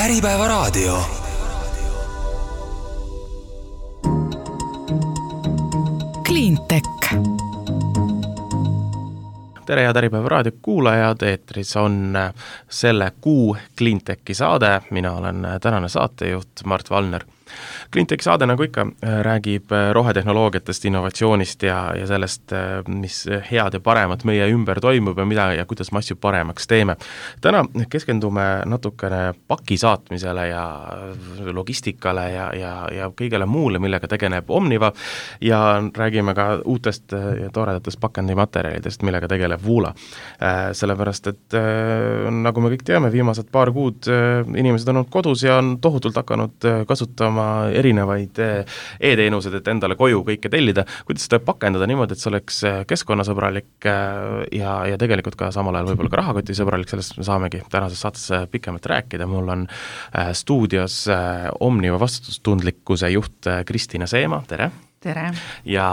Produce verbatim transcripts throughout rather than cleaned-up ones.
Äripäevaraadio. Cleantech. Tere ja Äripäevaraadio kuulajad, eetris on selle kuu Cleantechi saade. Mina olen tänane saatejuht Mart Valner. Cleantechi saade, nagu ikka, räägib rohetehnoloogiatest, innovatsioonist ja, ja sellest, mis head ja paremat meie ümber toimub ja mida ja kuidas me asju paremaks teeme. Täna keskendume natukene paki saatmisele ja logistikale ja, ja, ja kõigele muule, millega tegeleb Omniva ja räägime ka uutest ja toredatest pakendimaterjalidest, millega tegeleb Woola. Sellepärast, et nagu me kõik teame, viimased paar kuud inimesed on olnud kodus ja on tohutult hakanud kasutama erinevaid e-teenused, et endale koju kõike tellida, kuidas seda pakendada niimoodi, et see oleks keskkonnasõbralik ja, ja tegelikult ka samal ajal võib-olla ka rahakotisõbralik, sellest me saamegi tänases saates pikemalt rääkida. Mul on stuudios Omniva vastutustundlikkuse juht Kristina Seema, tere! Tere! Ja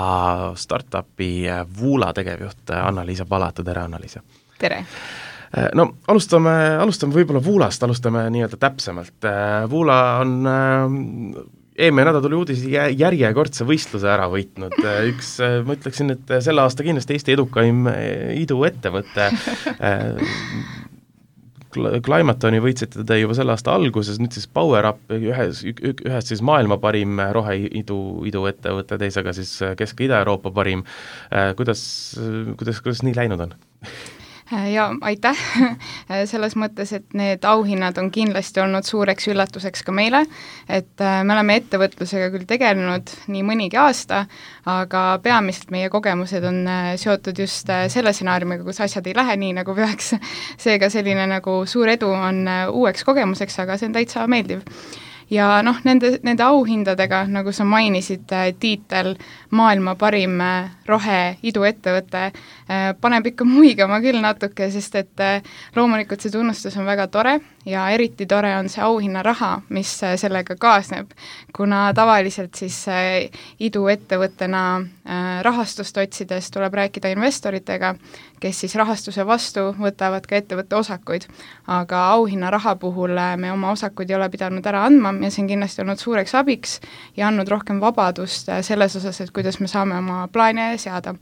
startupi Woola tegevjuht Anna-Liisa Palatu, tere Anna-Liisa! Tere! No, alustame, alustame võib-olla Woolast, alustame nii-öelda täpsemalt. Woola on eelmine nädal tuli uudis järjekordse võistluse ära võitnud. Üks, ma ütleksin, et selle aasta kindlasti Eesti edukaim iduettevõte. Climatoni võitsite te juba selle aasta alguses, nüüd siis PowerUp, ühes, ühes siis maailma parim roheidu iduettevõte, teisega siis Kesk- ja Ida-Euroopa parim. Kuidas, kuidas, kuidas nii läinud on? Ja aitäh selles mõttes, et need auhinnad on kindlasti olnud suureks üllatuseks ka meile, et me oleme ettevõtlusega küll tegelenud nii mõnigi aasta, aga peamiselt meie kogemused on seotud just selle stsenaariumiga, kus asjad ei lähe nii, nagu peaks. Seega selline nagu suur edu on uueks kogemuseks, aga see on täitsa meeldiv. Ja noh, nende, nende auhindadega, nagu sa mainisid, tiitel maailma parim rohe iduettevõte paneb ikka muigama küll natuke, sest et loomulikult see tunnustus on väga tore ja eriti tore on see auhinnaraha, mis sellega kaasneb, kuna tavaliselt siis iduettevõttena rahastust otsides tuleb rääkida investoritega, kes siis rahastuse vastu võtavad ka ettevõtte osakuid, aga auhinnaraha puhul me oma osakuid ei ole pidanud ära andma ja see on kindlasti olnud suureks abiks ja andnud rohkem vabadust selles osas, et kuidas me saame oma plaane seada.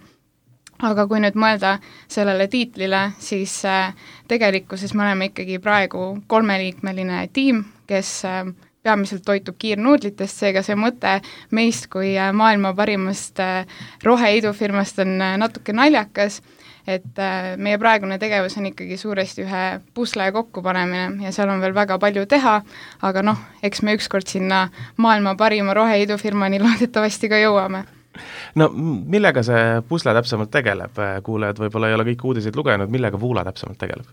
Aga kui nüüd mõelda sellele tiitlile, siis tegelikkuses me oleme ikkagi praegu kolmeliikmeline tiim, kes peamiselt toitub kiirnuudlitest, seega see mõte meist kui maailma parimast roheidufirmast on natuke naljakas, et meie praegune tegevus on ikkagi suuresti ühe pusle kokkupanemine ja seal on veel väga palju teha, aga noh, eks me ükskord sinna maailma parima roheidufirmani loodetavasti ka jõuame. No millega see pusle täpsemalt tegeleb? Kuulejad võib-olla ei ole kõik uudiseid lugenud, millega Woola täpsemalt tegeleb?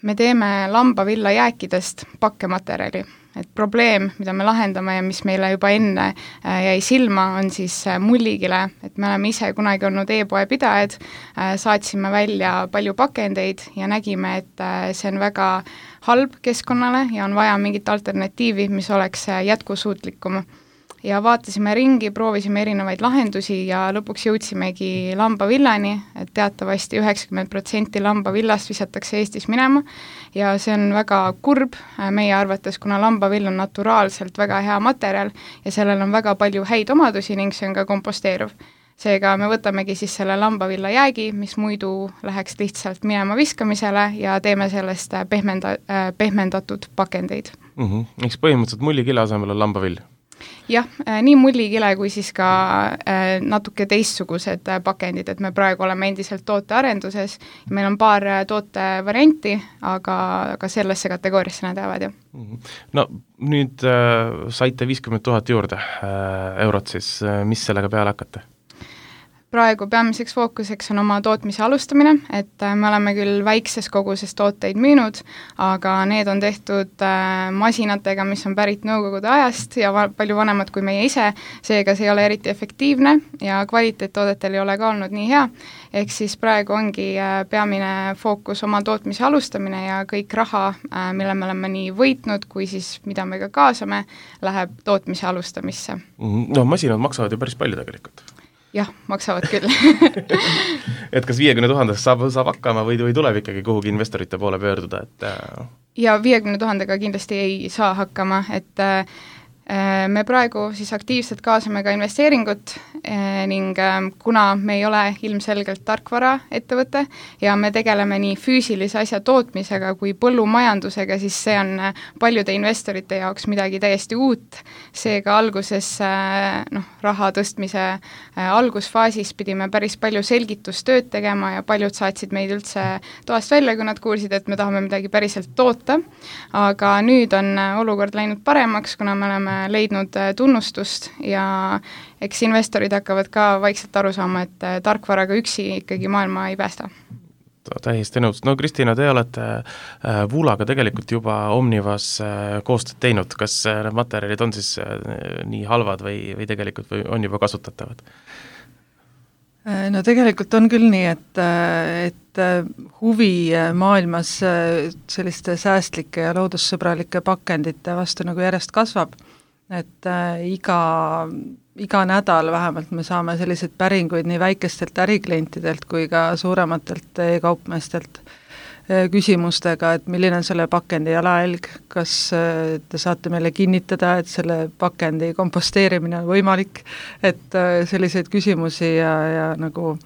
Me teeme lambavilla jääkidest pakkematerjali. Et probleem, mida me lahendame ja mis meile juba enne jäi silma, on siis mullikile, et me oleme ise kunagi olnud e-poe pidajad, saatsime välja palju pakendeid ja nägime, et see on väga halb keskkonnale ja on vaja mingit alternatiivi, mis oleks jätkusuutlikum. Ja vaatasime ringi, proovisime erinevaid lahendusi ja lõpuks jõudsimegi lambavillani, et teatavasti üheksakümmend protsenti lambavillast visatakse Eestis minema ja see on väga kurb meie arvates, kuna lambavill on naturaalselt väga hea materjal ja sellel on väga palju häid omadusi ning see on ka komposteeruv. Seega me võtamegi siis selle lambavilla jäägi, mis muidu läheks lihtsalt minema viskamisele ja teeme sellest pehmenda, pehmendatud pakendeid. Mm-hmm. Eks põhimõtteliselt mullikile asemel on lambavill? Jah, nii mullikile kui siis ka natuke teistsugused pakendid, et me praegu oleme endiselt tootearenduses ja meil on paar tootevarianti, aga, aga sellesse kategooriasse nad jäävad ju. No nüüd äh, saite viiskümmend tuhat juurde äh, eurot siis, mis sellega peale hakata? Praegu peamiseks fookuseks on oma tootmise alustamine, et me oleme küll väikses koguses tooteid müünud, aga need on tehtud masinatega, mis on pärit nõukogude ajast ja va- palju vanemad kui meie ise, seega see ei ole eriti efektiivne ja kvaliteettoodetel ei ole ka olnud nii hea, ehk siis praegu ongi peamine fookus oma tootmise alustamine ja kõik raha, mille me oleme nii võitnud, kui siis mida me ka kaasame, läheb tootmise alustamisse. No masinad maksavad ju päris palju tegelikult. Jah, maksavad küll. et kas viiekümne tuhandest saab, saab hakkama või, või tuleb ikkagi kuhugi investorite poole pöörduda? Et... ja viiekümne tuhandega kindlasti ei saa hakkama, et me praegu siis aktiivselt kaasame ka investeeringut ning kuna me ei ole ilmselgelt tarkvaraettevõte ja me tegeleme nii füüsilise asja tootmisega kui põllumajandusega, siis see on paljude investorite jaoks midagi täiesti uut. Seega alguses noh, raha tõstmise algusfaasis pidime päris palju selgitustööd tegema ja paljud saatsid meid üldse toast välja, kui nad kuulsid, et me tahame midagi päriselt toota. Aga nüüd on olukord läinud paremaks, kuna me oleme leidnud tunnustust ja eks investorid hakkavad ka vaikselt aru saama, et tarkvaraga üksi ikkagi maailma ei päästa. Täiesti nõus. No Kristina, te olete Vuulaga tegelikult juba Omnivas koostööd teinud. Kas need materjalid on siis nii halvad või, või tegelikult või on juba kasutatavad? No tegelikult on küll nii, et, et huvi maailmas selliste säästlike ja loodussõbralike pakendite vastu nagu järjest kasvab. Et äh, iga, iga nädal vähemalt me saame selliseid päringuid nii väikestelt äriklientidelt kui ka suurematelt e-kaupmeestelt äh, küsimustega, et milline on selle pakendi jalajälg, kas äh, te saate meile kinnitada, et selle pakendi komposteerimine on võimalik, et äh, selliseid küsimusi ja, ja nagu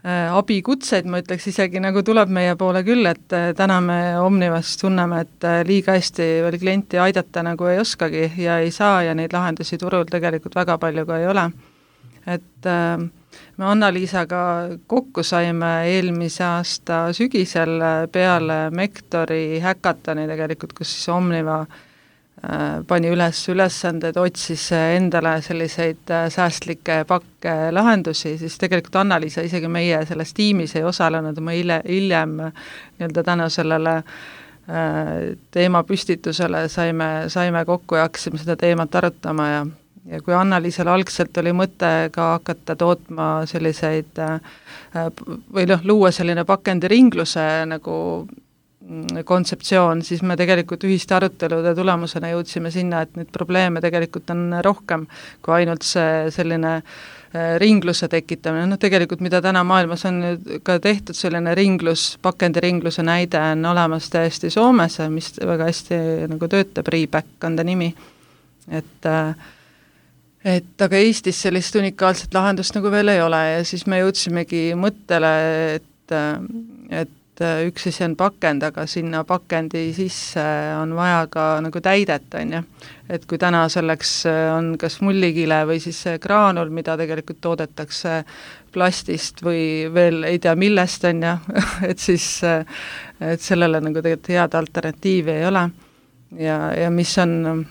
abikutseid, ma ütleks isegi, nagu tuleb meie poole küll, et täna me Omnivas tunneme, et liiga hästi veel klienti aidata nagu ei oskagi ja ei saa ja neid lahendusi turul tegelikult väga palju ka ei ole. Et me Anna-Liisaga kokku saime eelmise aasta sügisel peale Mektori häkatoni tegelikult, kus siis Omniva pani üles ülesanded, otsis endale selliseid säästlikke pakke lahendusi, siis tegelikult Anna-Liisa isegi meie selles tiimis ei osalenud, ma hiljem nii-öelda tänu sellele teema püstitusele saime, saime kokku ja hakkasime seda teemat arutama ja, ja kui Anna-Liisal algselt oli mõte ka hakata tootma selliseid või noh, luua selline pakendiringluse nagu kontseptsioon, siis me tegelikult ühiste arutelude tulemusena jõudsime sinna, et neid probleeme tegelikult on rohkem kui ainult see selline ringluse tekitamine, noh tegelikult mida täna maailmas on ka tehtud, selline ringlus, pakendiringluse näide on olemas täiesti Soomes, mis väga hästi nagu töötab, Reback on ta nimi, et et aga Eestis sellist unikaalset lahendust nagu veel ei ole ja siis me jõudsimegi mõttele, et, et üks asi on pakend, aga sinna pakendi sisse on vaja ka nagu täidet, on ju. Et kui täna selleks on kas mullikile või siis graanul, mida tegelikult toodetakse plastist või veel ei tea millest, on ju, et siis et sellele nagu tegelikult head alternatiivi ei ole. Ja, ja mis on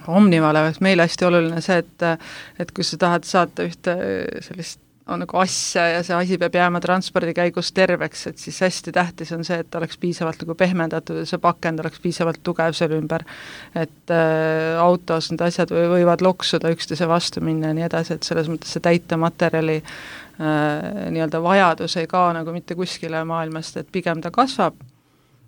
Omnivale, meile hästi oluline see, et, et kui sa tahad saata ühte sellist on nagu asja ja see asi peab jääma transpordi käigus terveks, et siis hästi tähtis on see, et oleks piisavalt nagu pehmendatud ja see pakend oleks piisavalt tugev selle ümber, et äh, autos need asjad võivad loksuda üksteise vastu minna ja nii edasi, et selles mõttes see täitematerjali äh, nii-öelda vajadus ei kao nagu mitte kuskile maailmast, et pigem ta kasvab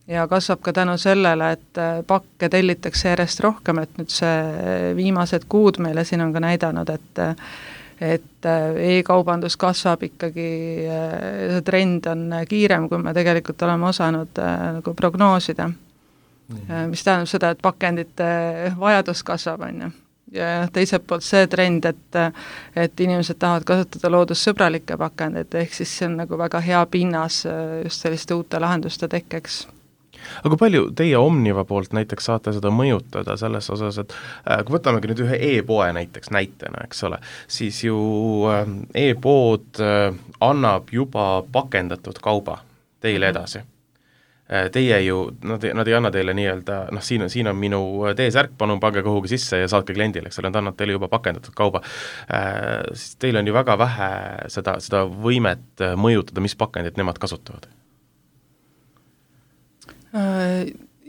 ja kasvab ka tänu sellele, et pakke tellitakse järjest rohkem, et nüüd see viimased kuud meile siin on ka näidanud, et et e-kaubandus kasvab ikkagi, see trend on kiirem, kui me tegelikult oleme osanud nagu prognoosida, mm. mis tähendab seda, et pakendite vajadus kasvab, on ju. Ja teiselt poolt see trend, et, et inimesed tahavad kasutada loodussõbralikke pakendeid, ehk siis see on nagu väga hea pinnas just selliste uute lahenduste tekkeks. Aga palju teie Omniva poolt näiteks saate seda mõjutada selles osas, et äh, kui võtamegi nüüd ühe e-poe näiteks näitena, eks ole, siis ju äh, e-pood äh, annab juba pakendatud kauba teile edasi. Äh, teie ju, nad, nad ei anna teile nii-öelda, noh, siin on, siin on minu T-särk, palun pange kuhugi sisse ja saatke kliendile, eks ole, nad annab teile juba pakendatud kauba. Äh, siis teil on ju väga vähe seda, seda võimet mõjutada, mis pakendit nemad kasutavad.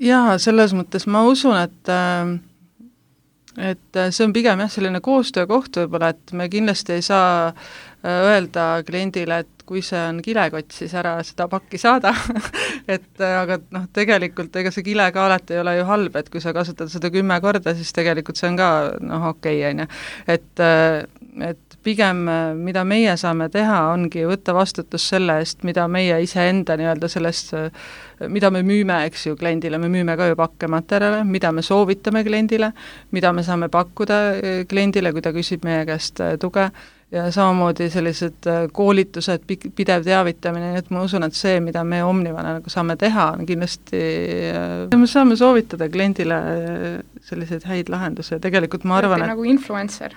Jaa, selles mõttes ma usun, et et see on pigem jah, selline koostöökoht võib-olla, et me kindlasti ei saa öelda kliendile, et kui see on kilekott, siis ära seda pakki saada et aga noh, tegelikult ega see kile ka alati ei ole ju halb, et kui sa kasutad seda kümme korda, siis tegelikult see on ka noh, okei, on ju. Et, et pigem mida meie saame teha, ongi võtta vastutus selle eest, mida meie iseenda nii-öelda sellest, mida me müüme, eks ju, kliendile, me müüme ka ju pakkematerjale, mida me soovitame kliendile, mida me saame pakkuda kliendile, kui ta küsib meie käest tuge, ja samamoodi sellised koolitused, pidev teavitamine, nii et ma usun, et see, mida me Omnivana nagu saame teha, on kindlasti, me saame soovitada kliendile selliseid häid lahendusi ja tegelikult ma arvan, et nagu influencer.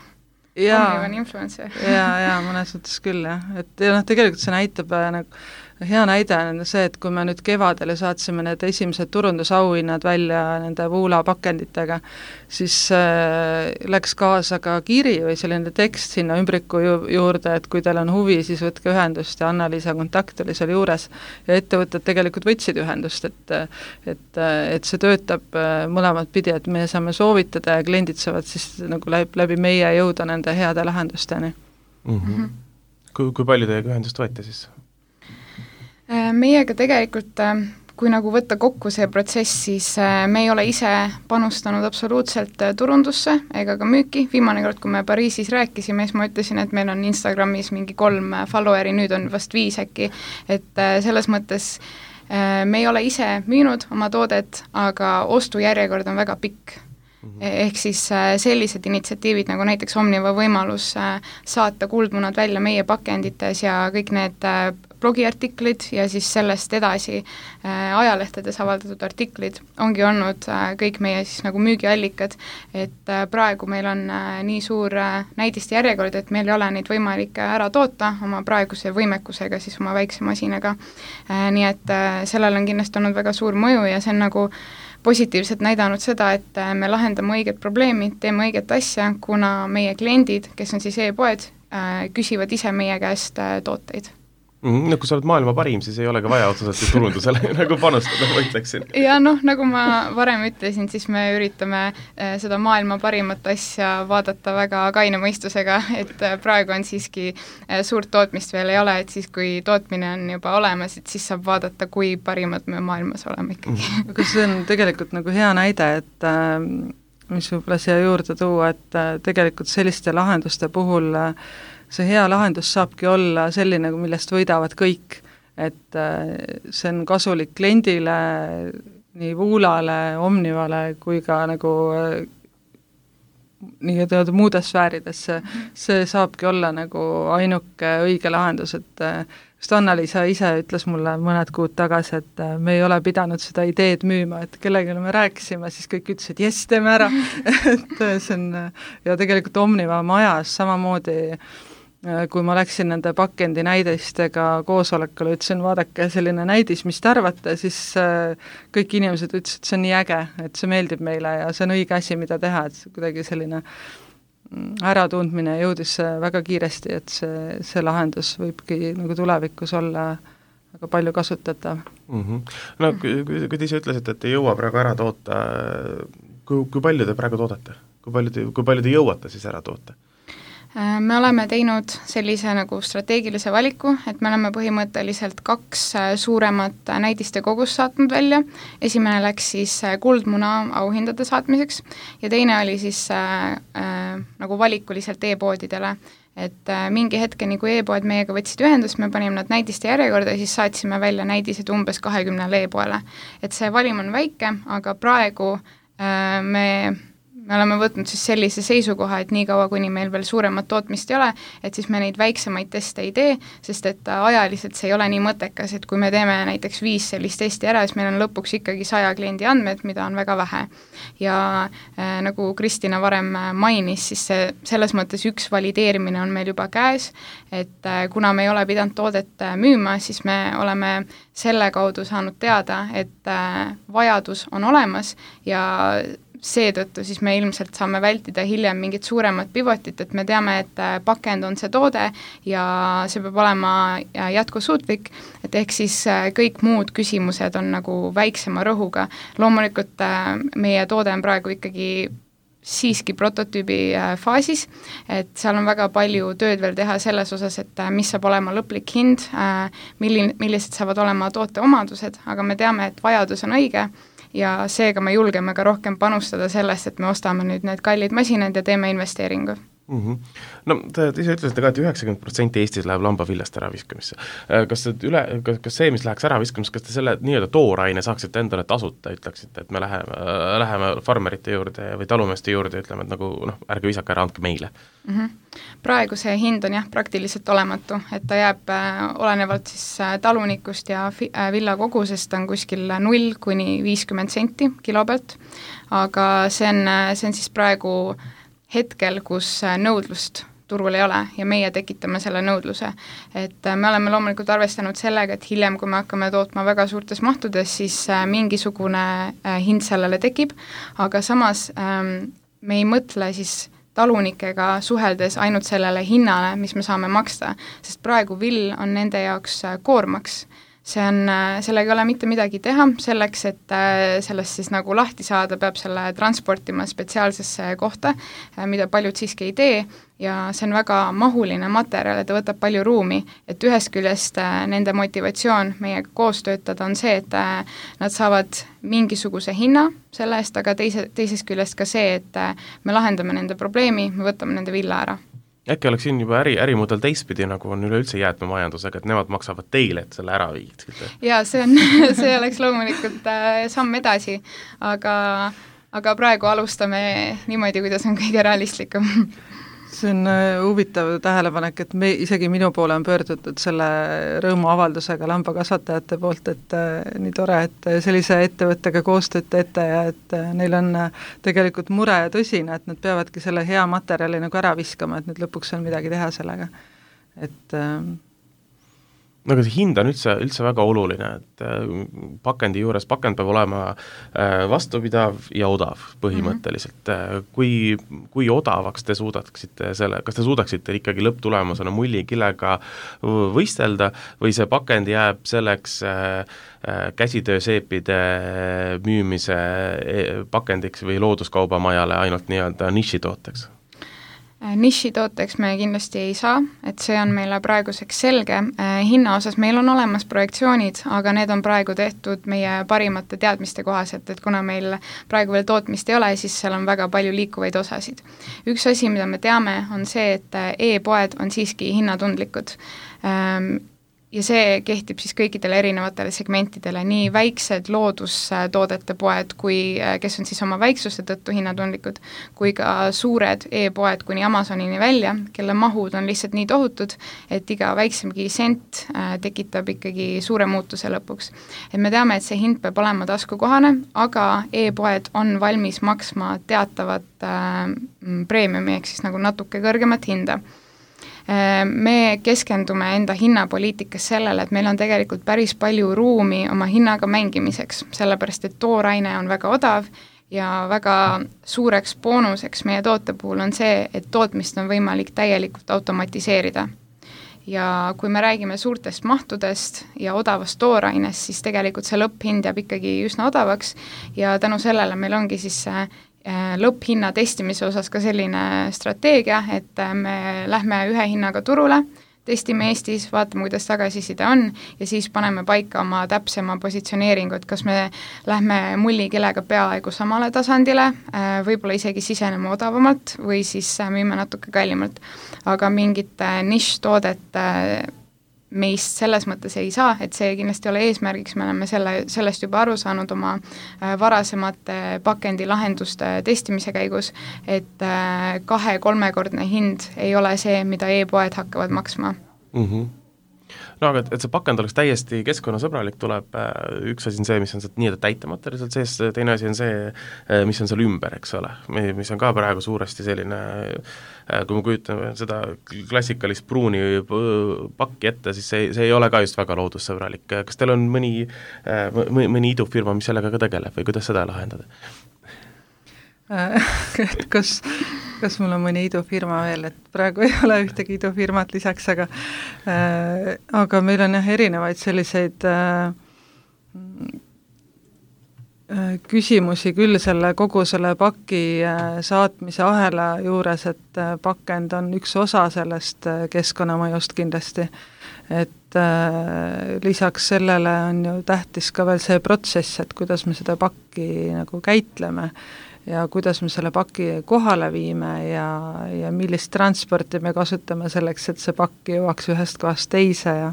Omnivan influencer. ja, ja mõnes mõttes küll, jah. Et ja noh, tegelikult see näitab nagu hea näide on see, et kui me nüüd kevadel saatsime need esimesed turundusauhinnad välja nende Woola pakenditega, siis äh, läks kaasa ka kiri või selline tekst sinna ümbriku ju juurde, et kui teil on huvi, siis võtke ühendust ja Anna-Liisa kontakt oli seal juures ja ettevõtted tegelikult võtsid ühendust, et et, et see töötab mõlemat pidi, et me saame soovitada ja kliendid saavad siis nagu läbi, läbi meie jõuda nende heade lahendusteni. Mm-hmm. Kui, kui palju teiega ühendust võeti siis? Meiega tegelikult, kui nagu võtta kokku see protsess, siis me ei ole ise panustanud absoluutselt turundusse ega ka müüki. Viimane kord, kui me Pariisis rääkisime, siis ma ütlesin, et meil on Instagramis mingi kolm followeri, nüüd on vast viis äkki, et selles mõttes me ei ole ise müünud oma toodet, aga ostujärjekord on väga pikk. Ehk siis sellised initsiatiivid nagu näiteks Omniva võimalus saata kuldmunad välja meie pakendites ja kõik need blogiartiklid ja siis sellest edasi ajalehtedes avaldatud artiklid ongi olnud kõik meie siis nagu müügiallikad, et praegu meil on nii suur näidiste järjekord, et meil ei ole neid võimalik ära toota oma praeguse võimekusega, siis oma väikse masinaga. Nii et sellel on kindlasti olnud väga suur mõju ja see on nagu positiivselt näidanud seda, et me lahendame õiget probleemi, teeme õiget asja, kuna meie kliendid, kes on siis e-poed, küsivad ise meie käest tooteid. Mm, no kui sa oled maailma parim, siis ei ole ka vaja otseselt turundusele nagu panustada, ma ütleksin. Ja noh, nagu ma varem ütlesin, siis me üritame seda maailma parimat asja vaadata väga kaine mõistusega, et praegu on siiski suurt tootmist veel ei ole, et siis kui tootmine on juba olemas, et siis saab vaadata, kui parimad me maailmas oleme ikkagi. Aga see on tegelikult nagu hea näide, et mis võib-olla siia juurde tuua, et tegelikult selliste lahenduste puhul see hea lahendus saabki olla selline, millest võidavad kõik, et see on kasulik kliendile, nii Woolale, Omnivale kui ka nagu nii teada muudes sfäärides, see saabki olla nagu ainuke õige lahendus, et just Anna-Liisa ise ütles mulle mõned kuud tagasi, et me ei ole pidanud seda ideed müüma, et kellegile me rääkisime, siis kõik ütlesid, jess, teeme ära et see on, ja tegelikult Omniva majas samamoodi kui ma läksin nende pakendi näidistega koosolekule, ütlesin, vaadake selline näidis, mis te arvate, siis kõik inimesed ütlesid, et see on nii äge, et see meeldib meile ja see on õige asi, mida teha, et kuidagi selline äratundmine jõudis väga kiiresti, et see, see lahendus võibki nagu tulevikus olla väga palju kasutatav. Mm-hmm. No kui, kui te ise ütlesite, et ei jõua praegu ära toota, kui, kui palju te praegu toodate? Kui palju te, kui palju te jõuate siis ära toota? Me oleme teinud sellise nagu strateegilise valiku, et me oleme põhimõtteliselt kaks suuremat näidiste kogust saatnud välja. Esimene läks siis kuldmuna auhindade saatmiseks ja teine oli siis äh, äh, nagu valikuliselt e-poodidele. Et äh, mingi hetkeni, kui e-poed meiega võtsid ühendust, me panime nad näidiste järjekorda ja siis saatsime välja näidised umbes kahekümnele e-poele. Et see valim on väike, aga praegu äh, me me oleme võtnud siis sellise seisukoha, et nii kaua, kuni meil veel suuremat tootmist ei ole, et siis me neid väiksemaid teste ei tee, sest et ajaliselt see ei ole nii mõttekas, et kui me teeme näiteks viis sellist testi ära, siis meil on lõpuks ikkagi saja kliendi andmed, mida on väga vähe. Ja äh, nagu Kristina varem mainis, siis see, selles mõttes üks valideerimine on meil juba käes, et äh, kuna me ei ole pidanud toodet müüma, siis me oleme selle kaudu saanud teada, et äh, vajadus on olemas ja seetõttu siis me ilmselt saame vältida hiljem mingit suuremat pivotit, et me teame, et pakend on see toode ja see peab olema jätkusuutlik, et ehk siis kõik muud küsimused on nagu väiksema rõhuga. Loomulikult meie toode on praegu ikkagi siiski prototüübi faasis, et seal on väga palju tööd veel teha selles osas, et mis saab olema lõplik hind, milline, millised saavad olema toote omadused, aga me teame, et vajadus on õige ja seega me julgeme ka rohkem panustada sellest, et me ostame nüüd need kallid masinad ja teeme investeeringu. Mm-hmm. No te, te ise ütlesite ka, et üheksakümmend protsenti Eestis läheb lambaviljast ära viskamisse. Kas, üle, kas, kas see, mis läheks ära viskamisse, kas te selle nii-öelda tooraine saaksite endale tasuta, ütleksite, et me läheme, läheme farmerite juurde või talumeeste juurde ja ütleme, et nagu noh, ärge visake ära, andke meile? Mm-hmm. Praegu see hind on jah praktiliselt olematu, et ta jääb äh, olenevalt siis äh, talunikust ja fi, äh, villa kogusest on kuskil null kuni viiskümmend senti kilo pealt, aga see on, see on siis praegu hetkel, kus nõudlust turul ei ole ja meie tekitame selle nõudluse. Et me oleme loomulikult arvestanud sellega, et hiljem, kui me hakkame tootma väga suurtes mahtudes, siis mingisugune hind sellele tekib, aga samas me ei mõtle siis talunikega suheldes ainult sellele hinnale, mis me saame maksta, sest praegu vill on nende jaoks koormaks. See on, sellega ei ole mitte midagi teha, selleks, et sellest siis nagu lahti saada, peab selle transportima spetsiaalsesse kohta, mida paljud siiski ei tee ja see on väga mahuline materjal ja ta võtab palju ruumi, et ühest küljest nende motivatsioon meiega koos töötada on see, et nad saavad mingisuguse hinna selle eest, aga teise, teisest küljest ka see, et me lahendame nende probleemi, me võtame nende villa ära. Äkki oleks siin juba äri, ärimudel teistpidi, nagu on üleüldse jäätmemajandusega, et nemad maksavad teile, et selle ära viid? Jaa, see on, see oleks loomulikult äh, samm edasi, aga, aga praegu alustame niimoodi, kuidas on kõige realistlikum. See on huvitav tähelepanek, et me, isegi minu poole on pöördutud selle rõõmuavaldusega lambakasvatajate poolt, et äh, nii tore, et sellise ettevõttega koostööd teete ja et äh, neil on tegelikult mure tõsine, et nad peavadki selle hea materjali nagu ära viskama, et nüüd lõpuks on midagi teha sellega. Et äh, no aga see hind on üldse, üldse väga oluline, et pakendi juures, pakend peab olema vastupidav ja odav põhimõtteliselt. Mm-hmm. Kui, kui odavaks te suudaksite selle, kas te suudaksite ikkagi lõpptulemusena mullikilega võistelda või see pakend jääb selleks käsitööseepide müümise pakendiks või looduskaubamajale ainult nii-öelda nišitooteks? Nišitooteks me kindlasti ei saa, et see on meile praeguseks selge. Hinna osas meil on olemas projektsioonid, aga need on praegu tehtud meie parimate teadmiste kohaselt, et kuna meil praegu veel tootmist ei ole, siis seal on väga palju liikuvaid osasid. Üks asi, mida me teame, on see, et e-poed on siiski hinnatundlikud. Ja see kehtib siis kõikidele erinevatele segmentidele, nii väiksed loodustoodete poed, kui, kes on siis oma väiksuse tõttu hinnatundlikud, kui ka suured e-poed kuni Amazonini välja, kelle mahud on lihtsalt nii tohutud, et iga väiksemgi sent tekitab ikkagi suure muutuse lõpuks. Et me teame, et see hind peab olema taskukohane, aga e-poed on valmis maksma teatavat äh, preemiumi, ehk siis nagu natuke kõrgemat hinda. Me keskendume enda hinnapoliitikas sellele, et meil on tegelikult päris palju ruumi oma hinnaga mängimiseks, sellepärast et tooraine on väga odav ja väga suureks boonuseks meie toote puhul on see, et tootmist on võimalik täielikult automatiseerida. Ja kui me räägime suurtest mahtudest ja odavast toorainest, siis tegelikult see lõpphind jääb ikkagi üsna odavaks ja tänu sellele meil ongi siis see lõpphinna testimise osas ka selline strateegia, et me lähme ühe hinnaga turule, testime Eestis, vaatame, kuidas tagasiside on ja siis paneme paika oma täpsema positsioneeringu, et kas me lähme mullikilega peaaegu samale tasandile, võib-olla isegi siseneme odavamalt või siis müüme natuke kallimalt. Aga mingit nišštoodet meist selles mõttes ei saa, et see kindlasti ole eesmärgiks, me oleme selle, sellest juba aru saanud oma varasemate pakendilahenduste testimise käigus, et kahe-kolmekordne hind ei ole see, mida e-poed hakkavad maksma. Mm-hmm. No aga et see pakend oleks täiesti keskkonnasõbralik, tuleb üks asi on see, mis on see nii-öelda täitematerjal seal sees, teine asi on see, mis on seal ümber, eks ole, mis on ka praegu suuresti selline, kui me kujutame seda klassikalist pruuni pakki ette, siis see, see ei ole ka just väga loodussõbralik. Kas teil on mõni, mõni idufirma, mis sellega ka tegeleb või kuidas seda lahendada? et kas, kas mul on mõni idufirma veel, et praegu ei ole ühtegi idufirmat lisaks, aga äh, aga meil on jah erinevaid selliseid äh, küsimusi küll selle kogu selle paki saatmise ahela juures, et pakend on üks osa sellest keskkonnamõjust kindlasti. Et äh, lisaks sellele on ju tähtis ka veel see protsess, et kuidas me seda pakki nagu käitleme ja kuidas me selle paki kohale viime ja, ja millist transporti me kasutame selleks, et see pakk jõuaks ühest kohast teise ja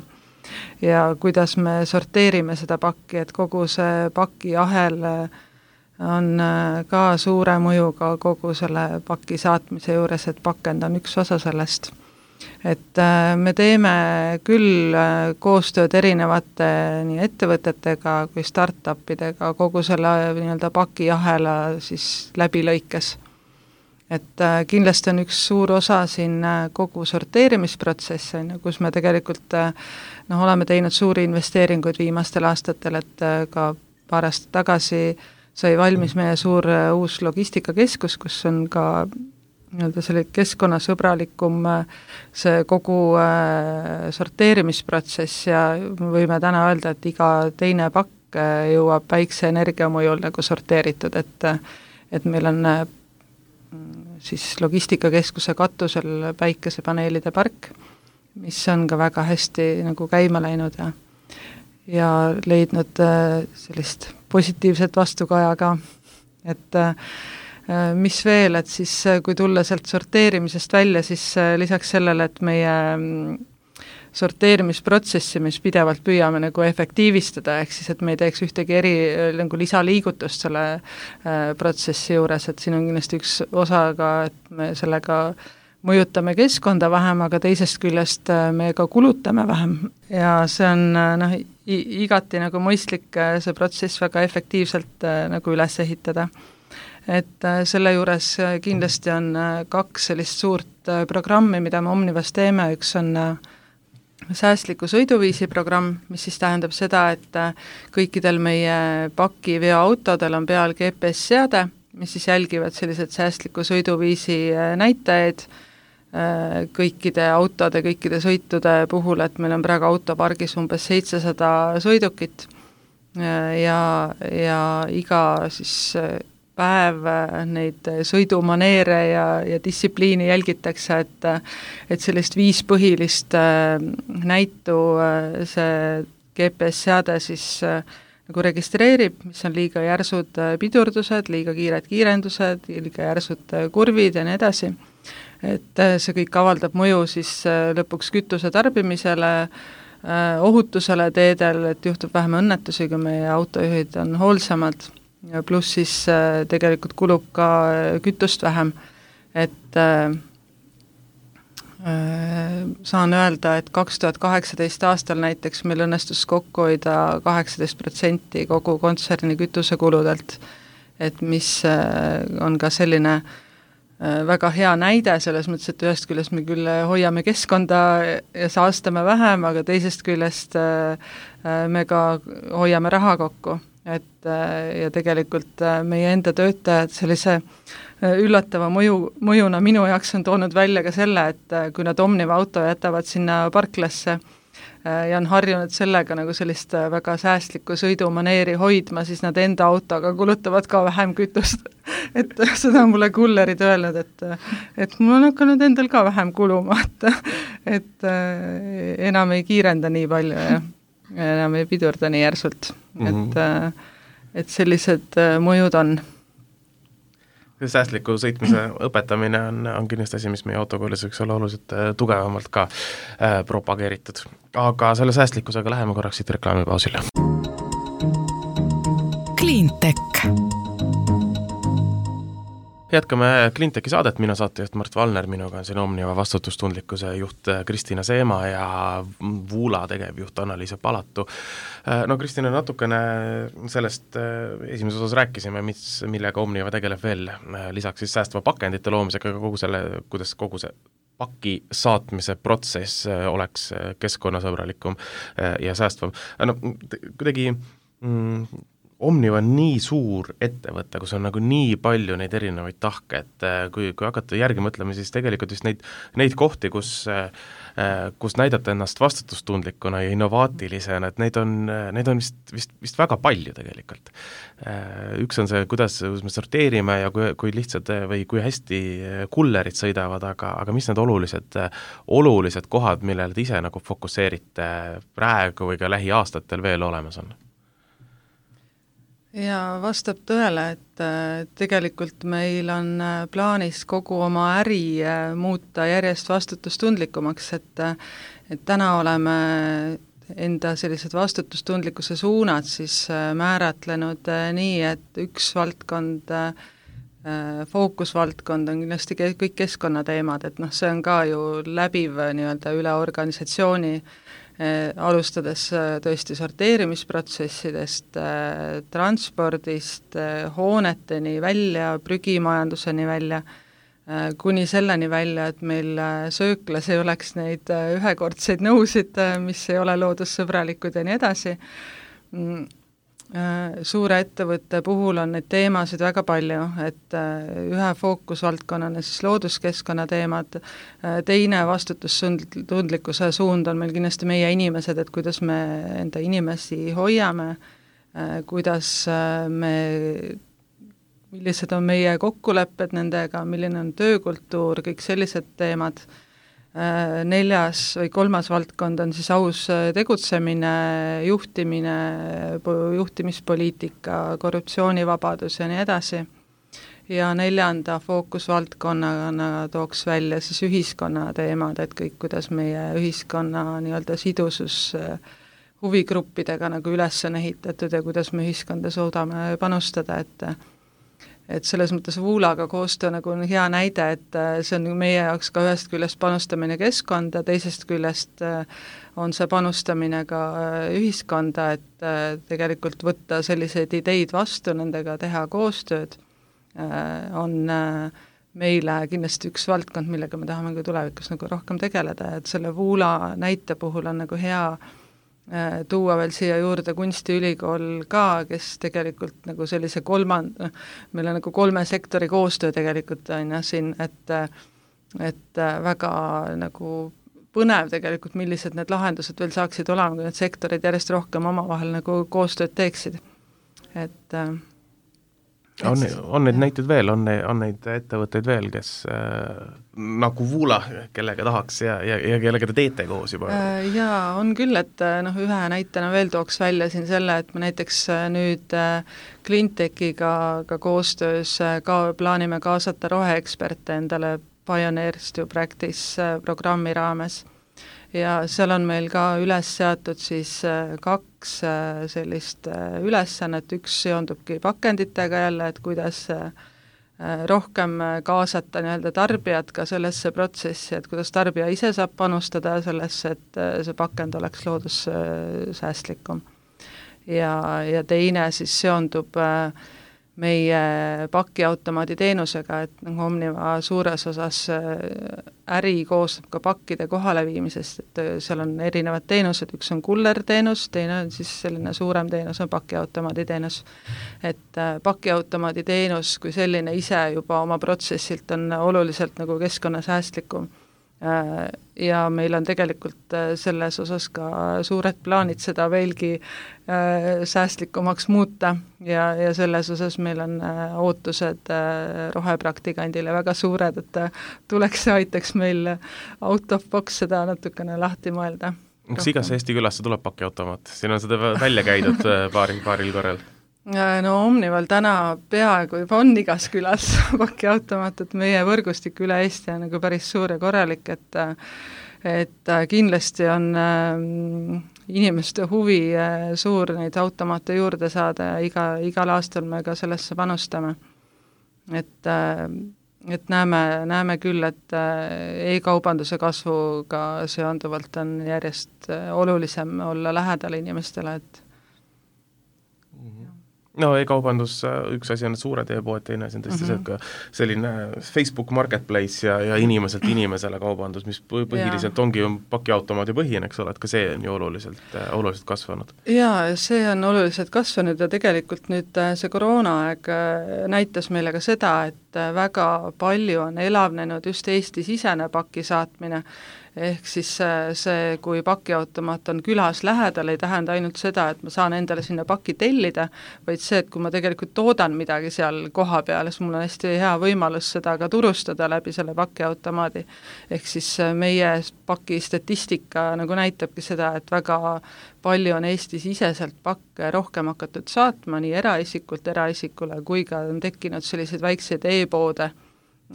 ja kuidas me sorteerime seda pakki, et kogu see pakiahel on ka suure mõjuga kogu selle paki saatmise juures, et pakend on üks osa sellest. Et me teeme küll koostööd erinevate nii ettevõtetega kui startupidega kogu selle nii-öelda pakiahela siis läbilõikes. Et kindlasti on üks suur osa siin kogu sorteerimisprotsess, kus me tegelikult noh, oleme teinud suuri investeeringuid viimastel aastatel, et ka paar aastat tagasi sai valmis meie suur uus logistikakeskus, kus on ka nii-öelda selle keskkonnasõbralikum see kogu sorteerimisprotsess ja võime täna öelda, et iga teine pakk jõuab väikse energiamõjul nagu sorteeritud, et, et meil on siis logistikakeskuse katusel päikesepaneelide park, mis on ka väga hästi nagu käima läinud ja, ja leidnud sellist positiivset vastukaja ka, et mis veel, et siis kui tulla sealt sorteerimisest välja, siis lisaks sellele, et meie sorteerimisprotsessi, mis pidevalt püüame nagu efektiivistada, ehk siis, et me ei teeks ühtegi eri nagu lisaliigutust selle äh, protsessi juures, et siin on kindlasti üks osa ka, et me sellega mõjutame keskkonda vähem, aga teisest küljest me ka kulutame vähem ja see on noh, igati nagu mõistlik see protsess väga efektiivselt äh, nagu üles ehitada. Et selle juures kindlasti on kaks sellist suurt programmi, mida me Omnivas teeme, üks on säästliku sõiduviisi programm, mis siis tähendab seda, et kõikidel meie pakiveoautodel on peal G P S-seade, mis siis jälgivad sellised säästliku sõiduviisi näitajaid kõikide autode, kõikide sõitude puhul, et meil on praegu autopargis umbes seitsesada sõidukit ja, ja iga siis päev neid sõidumaneere ja, ja distsipliini jälgitakse, et, et sellist viis põhilist näitu see G P S-seade siis nagu registreerib, mis on liiga järsud pidurdused, liiga kiired kiirendused, liiga järsud kurvid ja nii edasi. Et see kõik avaldab mõju siis lõpuks kütuse tarbimisele, ohutusele teedel, et juhtub vähem õnnetusi, kui meie autojuhid on hoolsamad. Ja pluss siis äh, tegelikult kulub ka kütust vähem, et äh, saan öelda, et kaks tuhat kaheksateist aastal näiteks meil õnnestus kokku hoida kaheksateist protsenti kogu kontserni kütusekuludelt, et mis äh, on ka selline äh, väga hea näide selles mõttes, et ühest küljest me küll hoiame keskkonda ja saastame vähem, aga teisest küljest äh, me ka hoiame raha kokku. Et ja tegelikult meie enda töötajad sellise üllatava mõju, mõjuna minu jaoks on toonud välja ka selle, et kui nad Omniva auto jätavad sinna parklasse ja on harjunud sellega nagu sellist väga säästlikku sõidumaneeri hoidma, siis nad enda autoga kulutavad ka vähem kütust. Et seda on mulle kullerid öelnud, et, et mul on hakanud endal ka vähem kuluma, et, et enam ei kiirenda nii palju ja enam ei pidurda nii järsult, et, et sellised mõjud on. Säästliku sõitmise õpetamine on, on kindlasti asi, mis meie autokoolis võiks olla oluliselt tugevamalt ka äh, propageeritud. Aga selle säästlikkusega läheme korraks siit reklaamipausile. Cleantech. Jätkame Cleantechi saadet, mina saatejuht Mart Valner, minuga on siin Omniva vastutustundlikkuse juht Kristina Seema ja Vuula tegevjuht Annaliisa Palatu. No Kristina, natukene sellest esimeses osas rääkisime, mis, millega Omniva tegeleb veel, lisaks siis säästva pakendite loomisega, kogu selle, kuidas kogu see paki saatmise protsess oleks keskkonnasõbralikum ja säästvam. No kuidagi mm, Omniva on nii suur ettevõte, kus on nagu nii palju neid erinevaid tahke, et kui, kui hakata järgi mõtlema, siis tegelikult just neid, neid kohti, kus, kus näidata ennast vastutustundlikuna ja innovaatilisena, et neid on, neid on vist, vist, vist väga palju tegelikult. Üks on see, kuidas me sorteerime ja kui, kui lihtsad või kui hästi kullerid sõidavad, aga, aga mis need olulised, olulised kohad, millele te ise nagu fokusseerite praegu või ka lähiaastatel veel olemas on? Ja vastab tõele, et tegelikult meil on plaanis kogu oma äri muuta järjest vastutustundlikumaks, et, et täna oleme enda sellised vastutustundlikkuse suunad siis määratlenud nii, et üks valdkond, fookusvaldkond on kindlasti kõik keskkonnateemad, et noh, see on ka ju läbiv nii-öelda üle organisatsiooni, alustades tõesti sorteerimisprotsessidest, transpordist, hooneteni välja, prügimajanduseni välja, kuni selleni välja, et meil sööklas ei oleks neid ühekordseid nõusid, mis ei ole loodussõbralikud ja nii edasi. Suure ettevõtte puhul on neid teemasid väga palju, et ühe fookusvaldkonnana siis looduskeskkonna teemad, teine vastutustundlikkuse suund on meil kindlasti meie inimesed, et kuidas me enda inimesi hoiame, kuidas me, millised on meie kokkulepped nendega, milline on töökultuur, kõik sellised teemad. Neljas või kolmas valdkond on siis aus tegutsemine, juhtimine, juhtimispoliitika, korruptsioonivabadus ja nii edasi. Ja neljanda fookusvaldkonnana tooks välja siis ühiskonna teemad, et kõik, kuidas meie ühiskonna nii-öelda sidusus huvigruppidega nagu üles on ehitatud ja kuidas me ühiskonda suudame panustada, et et selles mõttes Voolaga koostöö nagu on hea näide, et see on meie jaoks ka ühest küljest panustamine keskkonda, teisest küljest on see panustamine ka ühiskonda, et tegelikult võtta selliseid ideid vastu, nendega teha koostööd, on meile kindlasti üks valdkond, millega me tahame ka tulevikus nagu rohkem tegeleda, et selle Voola näite puhul on nagu hea tuua veel siia juurde kunstiülikool ka, kes tegelikult nagu sellise kolmand-, meil on nagu kolme sektori koostöö tegelikult on ja siin, et et väga nagu põnev tegelikult, millised need lahendused veel saaksid olema, kui need sektorid järjest rohkem omavahel nagu koostööd teeksid. Et on, on neid näiteid veel, on, on neid ettevõtteid veel, kes äh, nagu Voola, kellega tahaks ja, ja, ja kellega te teete koos juba? Äh, jaa, on küll, et noh, ühe näitena veel tooks välja siin selle, et me näiteks nüüd äh, Cleantechiga ka koostöös äh, ka plaanime kaasata roheeksperte endale Pioneers to Practice äh, programmi raames. Ja seal on meil ka üles seatud siis kaks sellist ülesannet, üks seondubki pakenditega jälle, et kuidas rohkem kaasata nii-öelda tarbijad ka sellesse protsessi, et kuidas tarbija ise saab panustada sellesse, et see pakend oleks loodussäästlikum. Ja, ja teine siis seondub meie pakiautomaadi teenusega, et nagu Omniva suures osas äri koosneb ka pakkide kohaleviimisest, et seal on erinevad teenused, üks on kullerteenus, teine on siis selline suurem teenus, on pakiautomaadi teenus. Et pakiautomaadi teenus kui selline ise juba oma protsessilt on oluliselt nagu keskkonnasäästlikum. Ja meil on tegelikult selles osas ka suured plaanid seda veelgi säästlikumaks muuta ja, ja selles osas meil on ootused rohepraktikandile väga suured, et tuleks ja aitaks meil out of box seda natukene lahti mõelda. Kas igas Eesti külasse tuleb pakiautomaat? Siin on seda välja käidud paaril, paaril korral. No Omnival täna peaaegu juba on igas külas pakiautomaat, et meie võrgustik üle Eesti on nagu päris suur ja korralik, et et kindlasti on inimeste huvi suur neid automaate juurde saada ja iga, igal aastal me ka sellesse panustame. Et, et näeme, näeme küll, et e-kaubanduse kasvuga seonduvalt on järjest olulisem olla lähedal inimestele, et no e-kaubandus, üks asi on suured e-poed, teine asi on tõesti mm -hmm. see, et selline Facebook Marketplace ja, ja inimeselt inimesele kaubandus, mis põhiliselt ja. ongi ju pakiautomaadi põhine, eks ole, et ka see on ju oluliselt, oluliselt kasvanud. Jaa, see on oluliselt kasvanud ja tegelikult nüüd see koroonaaeg näitas meile ka seda, et väga palju on elavnenud just Eesti-sisene paki saatmine, ehk siis see, kui pakiautomaat on külas lähedal, ei tähenda ainult seda, et ma saan endale sinna paki tellida, vaid see, et kui ma tegelikult toodan midagi seal koha peal, siis mul on hästi hea võimalus seda ka turustada läbi selle pakiautomaadi. Ehk siis meie paki statistika nagu näitabki seda, et väga palju on Eesti-siseselt pakke rohkem hakatud saatma nii eraisikult eraisikule, kui ka on tekkinud selliseid väikseid e-poode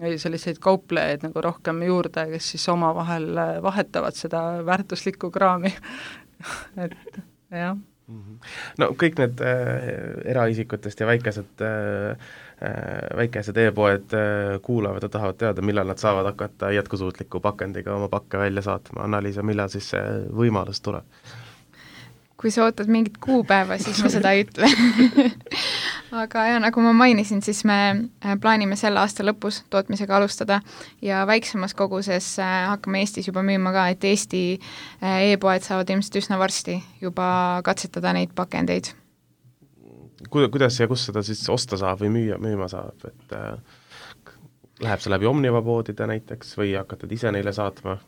või selliseid kauplejaid nagu rohkem juurde, kes siis omavahel vahetavad seda väärtuslikku kraami et jah. No kõik need äh, eraisikutest ja väikesed äh, väikesed e-poed äh, kuulavad ja tahavad teada, millal nad saavad hakata jätkusuutliku pakendiga oma pakke välja saatma. Annaliisa, millal siis see võimalus tuleb? Kui sa ootad mingit kuupäeva, siis ma seda ei ütle aga ja nagu ma mainisin, siis me plaanime selle aasta lõpus tootmisega alustada ja väiksemas koguses hakkame Eestis juba müüma ka, et Eesti e-poed saavad ilmselt üsna varsti juba katsetada neid pakendeid. Kuidas ja kus seda siis osta saab või müüa, müüma saab, et äh, läheb see läbi Omniva poodide näiteks või hakkatad ise neile saatma?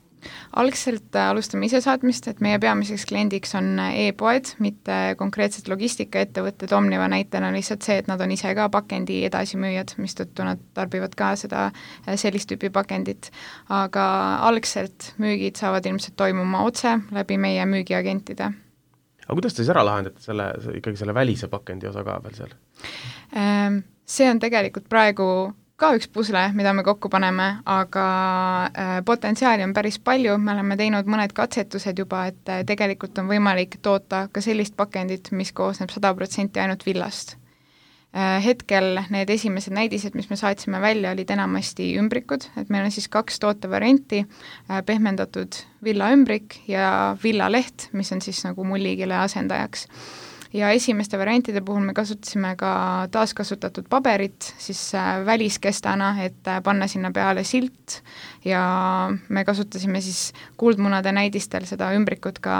Algselt alustame ise saatmist, et meie peamiseks kliendiks on e-poed, mitte konkreetselt logistikaettevõtted. Omniva näitena lihtsalt see, et nad on ise ka pakendi edasimüüjad, mistõttu nad tarbivad ka seda sellist tüüpi pakendit. Aga algselt müügid saavad ilmselt toimuma otse läbi meie müügiagentide. Aga kuidas te siis ära lahendate selle, ikkagi selle välise pakendi osa ka veel seal? See on tegelikult praegu ka üks pusle, mida me kokku paneme, aga äh, potentsiaali on päris palju, me oleme teinud mõned katsetused juba, et äh, tegelikult on võimalik toota ka sellist pakendit, mis koosneb sada protsenti ainult villast. Äh, hetkel need esimesed näidised, mis me saatsime välja, olid enamasti ümbrikud, et meil on siis kaks tootevarianti, äh, pehmendatud villaümbrik ja villaleht, mis on siis nagu mullikile asendajaks. Ja esimeste variantide puhul me kasutasime ka taaskasutatud paberit siis väliskestana, et panna sinna peale silt ja me kasutasime siis kuldmunade näidistel seda ümbrikut ka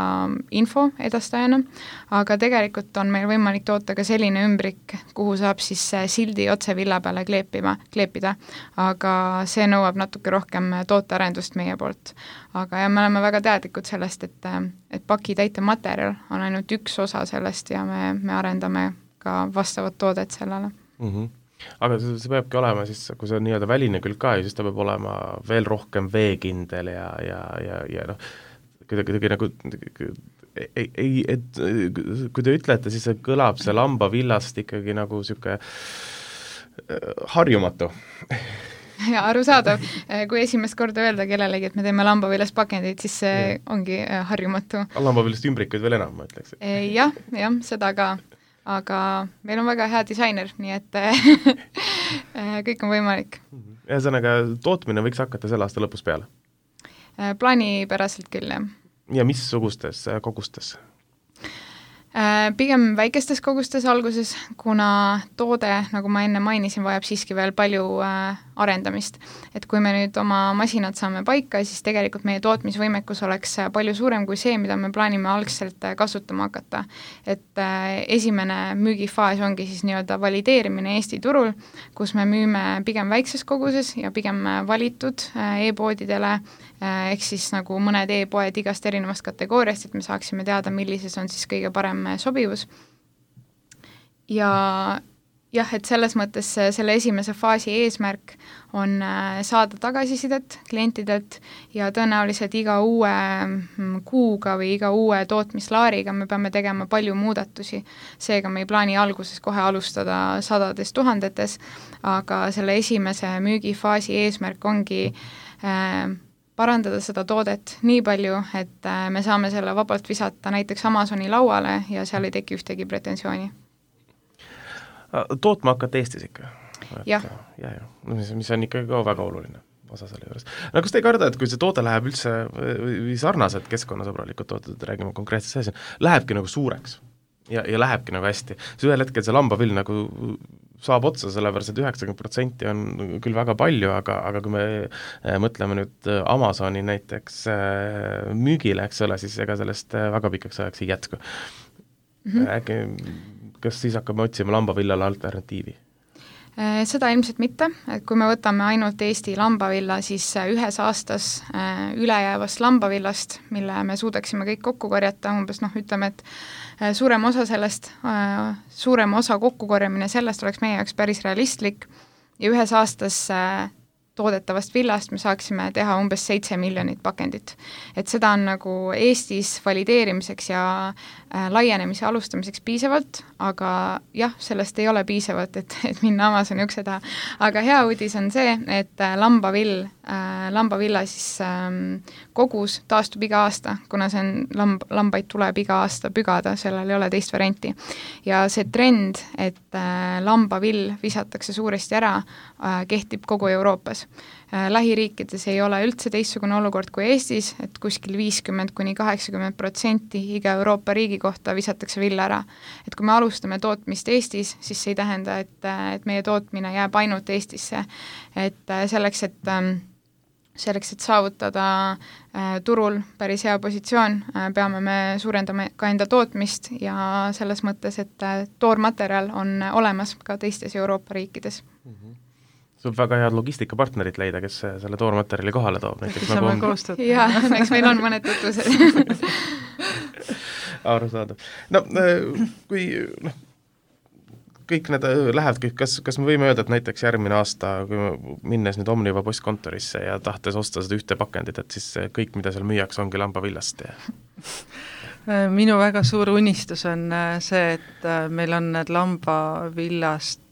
info edastajana, aga tegelikult on meil võimalik toota ka selline ümbrik, kuhu saab siis sildi otse villa peale kleepima, kleepida, aga see nõuab natuke rohkem tootearendust meie poolt. Aga ja me oleme väga teadlikud sellest, et, et paki täitematerjal on ainult üks osa sellest ja me, me arendame ka vastavat toodet sellele. Mm -hmm. Aga see, see peabki olema siis, kui see on nii-öelda väline külg ka, siis ta peab olema veel rohkem veekindel ja, ja, ja, ja noh, kuidagi, kuidagi nagu ei, ei, et kui te ütlete, siis see kõlab see lambavillast ikkagi nagu niisugune harjumatu ja arusaadav, kui esimest korda öelda kellelegi, et me teeme lambavillast pakendid, siis see ja. ongi harjumatu. Lambavillast ümbrikuid veel enam, ma ütleks. Jah, jah, seda ka, aga meil on väga hea disainer, nii et kõik on võimalik. Ühesõnaga, tootmine võiks hakata selle aasta lõpus peale? Plaanipäraselt küll, jah. Ja missugustes kogustes? Pigem väikestes kogustes alguses, kuna toode, nagu ma enne mainisin, vajab siiski veel palju äh, arendamist. Et kui me nüüd oma masinad saame paika, siis tegelikult meie tootmisvõimekus oleks palju suurem kui see, mida me plaanime algselt kasutama hakata. Et äh, esimene müügifaas ongi siis nii-öelda valideerimine Eesti turul, kus me müüme pigem väikses koguses ja pigem valitud äh, e-poodidele, ehk siis nagu mõned e-poed igast erinevast kategooriast, et me saaksime teada, millises on siis kõige parem sobivus. Ja jah, et selles mõttes selle esimese faasi eesmärk on saada tagasisidet klientidelt ja tõenäoliselt iga uue kuuga või iga uue tootmislaariga me peame tegema palju muudatusi. Seega me ei plaani alguses kohe alustada sadades tuhandetes, aga selle esimese müügifaasi eesmärk ongi äh, parandada seda toodet nii palju, et me saame selle vabalt visata näiteks Amazoni lauale ja seal ei teki ühtegi pretensiooni. Tootma hakkate Eestis ikka? Jah. Ja, ja. Mis, mis on ikkagi ka väga oluline osa selle juures. No kas te ei karda, et kui see toode läheb üldse või sarnased keskkonnasõbralikud tooted, räägime konkreetselt sees, lähebki nagu suureks? ja, ja lähebki nagu hästi. See ühel hetkel see lambavill nagu saab otsa, sellepärast et üheksakümmend protsenti on küll väga palju, aga, aga kui me mõtleme nüüd Amazoni näiteks müügile, eks ole, siis ega sellest väga pikaks ajaks ei jätku. Mm-hmm. Äkki, kas siis hakkame otsima lambavillale alternatiivi? Seda ilmselt mitte, et kui me võtame ainult Eesti lambavilla, siis ühes aastas ülejäävast lambavillast, mille me suudaksime kõik kokku korjata, umbes noh, ütleme, et suurem osa sellest, suurem osa kokkukorjamine sellest oleks meie jaoks päris realistlik ja ühes aastas toodetavast villast me saaksime teha umbes seitse miljonit pakendit. Et seda on nagu Eestis valideerimiseks ja äh, laienemise alustamiseks piisavalt, aga jah, sellest ei ole piisavalt, et, et minna Amazoni ukse taha. Aga hea uudis on see, et äh, lambavill, äh, lambavilla siis ähm, kogus taastub iga aasta, kuna see on lamb, lambaid tuleb iga aasta pügada, sellel ei ole teist varianti. Ja see trend, et äh, lambavill visatakse suuresti ära, äh, kehtib kogu Euroopas. Lähiriikides ei ole üldse teistsugune olukord kui Eestis, et kuskil viiskümmend kuni kaheksakümmend protsenti iga Euroopa riigi kohta visatakse vill ära. Et kui me alustame tootmist Eestis, siis see ei tähenda, et, et meie tootmine jääb ainult Eestisse. Et selleks, et, selleks, et saavutada turul päris hea positsioon, peame me suurendama ka enda tootmist ja selles mõttes, et toormaterjal on olemas ka teistes Euroopa riikides. Mm-hmm. Sul väga head logistikapartnerid leida, kes selle toormaterjali kohale toob. Näiteks nagu on... koostööd. Jaa, eks meil on mõned tutvused. Aru saada. No, kui no, kõik need lähevad, kas, kas me võime öelda, et näiteks järgmine aasta, kui me minnes nüüd Omniva postkontorisse ja tahtes osta seda ühte pakendit, et siis kõik, mida seal müüaks, ongi lambavillast? Ja... Minu väga suur unistus on see, et meil on need lambavillast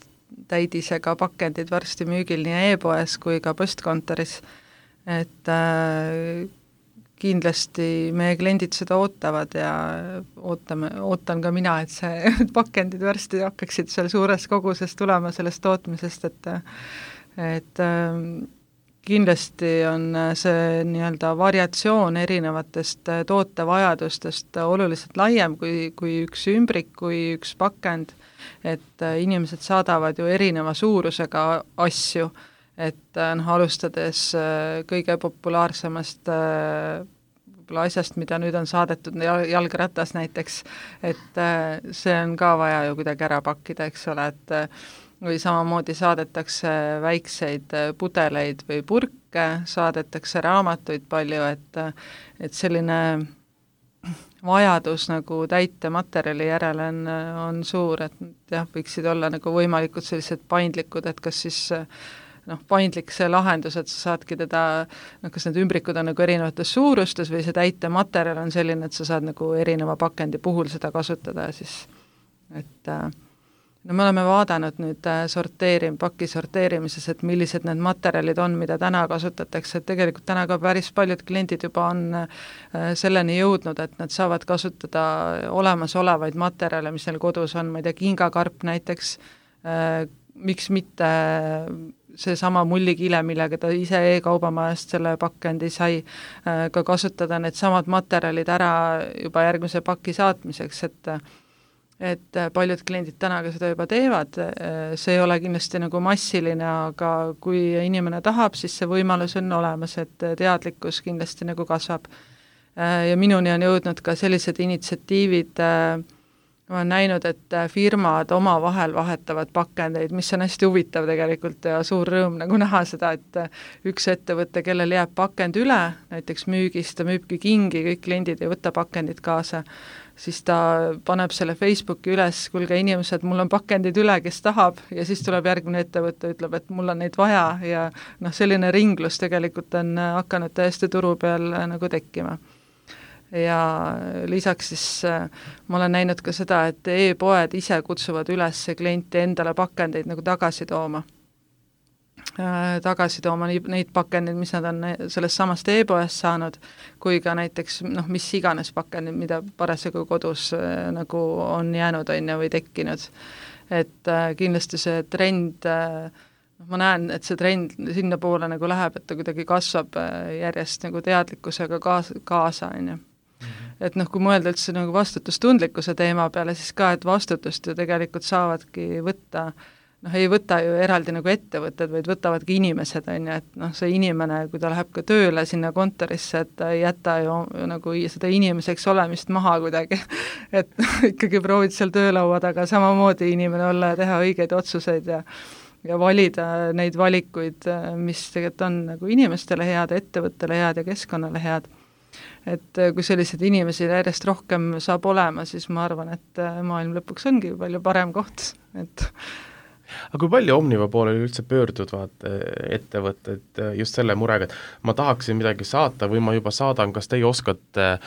täidisega pakendid varsti müügil nii e-poes kui ka postkontoris, et äh, kindlasti meie kliendid seda ootavad ja ootame, ootan ka mina, et see pakendid varsti hakkaksid seal suures koguses tulema sellest tootmisest, et et äh, kindlasti on see nii-öelda variatsioon erinevatest tootevajadustest oluliselt laiem kui, kui üks ümbrik, kui üks pakend, et inimesed saadavad ju erineva suurusega asju, et noh, alustades kõige populaarsemast võib-olla asjast, mida nüüd on saadetud, jalgratas näiteks, et see on ka vaja ju kuidagi ära pakkida, eks ole, et või samamoodi saadetakse väikseid pudeleid või purke, saadetakse raamatuid palju, et, et selline vajadus nagu täitematerjali järele on, on suur, et jah, võiksid olla nagu võimalikud sellised paindlikud, et kas siis noh, paindlik see lahendus, et sa saadki teda, noh, kas need ümbrikud on nagu erinevates suurustes või see täitematerjal on selline, et sa saad nagu erineva pakendi puhul seda kasutada ja siis, et no me oleme vaadanud nüüd sorteerim-, paki sorteerimises, et millised need materjalid on, mida täna kasutatakse, et tegelikult täna ka päris paljud kliendid juba on selleni jõudnud, et nad saavad kasutada olemasolevaid materjale, mis neil kodus on, ma ei tea, kingakarp näiteks, miks mitte seesama mullikile, millega ta ise e-kaubamajast selle pakendi sai, ka kasutada need samad materjalid ära juba järgmise paki saatmiseks, et et paljud kliendid täna ka seda juba teevad, see ei ole kindlasti nagu massiline, aga kui inimene tahab, siis see võimalus on olemas, et teadlikkus kindlasti nagu kasvab. Ja minuni on jõudnud ka sellised initsiatiivid, ma olen näinud, et firmad oma vahel vahetavad pakendeid, mis on hästi huvitav tegelikult ja suur rõõm nagu näha seda, et üks ettevõte, kellel jääb pakend üle, näiteks müügist, ta müübki kingi, kõik kliendid ei võta pakendit kaasa, siis ta paneb selle Facebooki üles, kuulge inimesed, mul on pakendid üle, kes tahab, ja siis tuleb järgmine ettevõte, ütleb, et mul on neid vaja ja noh, selline ringlus tegelikult on hakanud täiesti turu peal nagu tekkima. Ja lisaks siis ma olen näinud ka seda, et e-poed ise kutsuvad üles klienti endale pakendeid nagu tagasi tooma. tagasi tooma neid pakendid, mis nad on sellest samast e-poest saanud, kui ka näiteks noh, mis iganes pakendid, mida parasjagu kodus nagu on jäänud on ja või tekkinud. Et kindlasti see trend, ma näen, et see trend sinna poole nagu läheb, et ta kuidagi kasvab järjest nagu teadlikkusega kaasa, kaasa on ju. et noh, kui mõelda üldse nagu vastutustundlikkuse teema peale, siis ka, et vastutust ju tegelikult saavadki võtta, noh, ei võta ju eraldi nagu ettevõtted, vaid võtavadki inimesed, on ju, et noh, see inimene, kui ta läheb ka tööle sinna kontorisse, et ta ei jäta ju nagu seda inimeseks olemist maha kuidagi, et ikkagi proovid seal töölaua taga samamoodi inimene olla ja teha õigeid otsuseid ja ja valida neid valikuid, mis tegelikult on nagu inimestele head, ettevõttele head ja keskkonnale head. Et kui sellised inimesi järjest rohkem saab olema, siis ma arvan, et maailm lõpuks ongi palju parem koht, et aga kui palju Omniva pooleli üldse pöörduvad ettevõtted just selle murega, et ma tahaksin midagi saata või ma juba saadan, kas teie oskate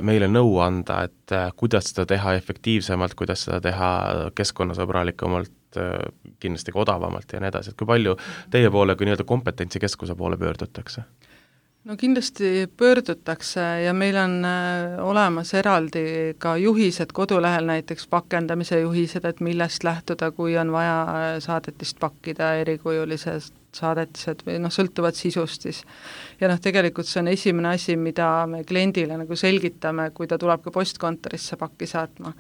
meile nõu anda, et kuidas seda teha efektiivsemalt, kuidas seda teha keskkonnasõbralikumalt, kindlasti ka odavamalt ja nii edasi, et kui palju teie poole kui nii-öelda kompetentsikeskuse poole pöördutakse? No kindlasti pöördutakse ja meil on olemas eraldi ka juhised kodulehel, näiteks pakendamise juhised, et millest lähtuda, kui on vaja saadetist pakkida, erikujulised saadetised või noh, sõltuvad sisust siis. Ja noh, tegelikult see on esimene asi, mida me kliendile nagu selgitame, kui ta tuleb ka postkontorisse pakki saatma.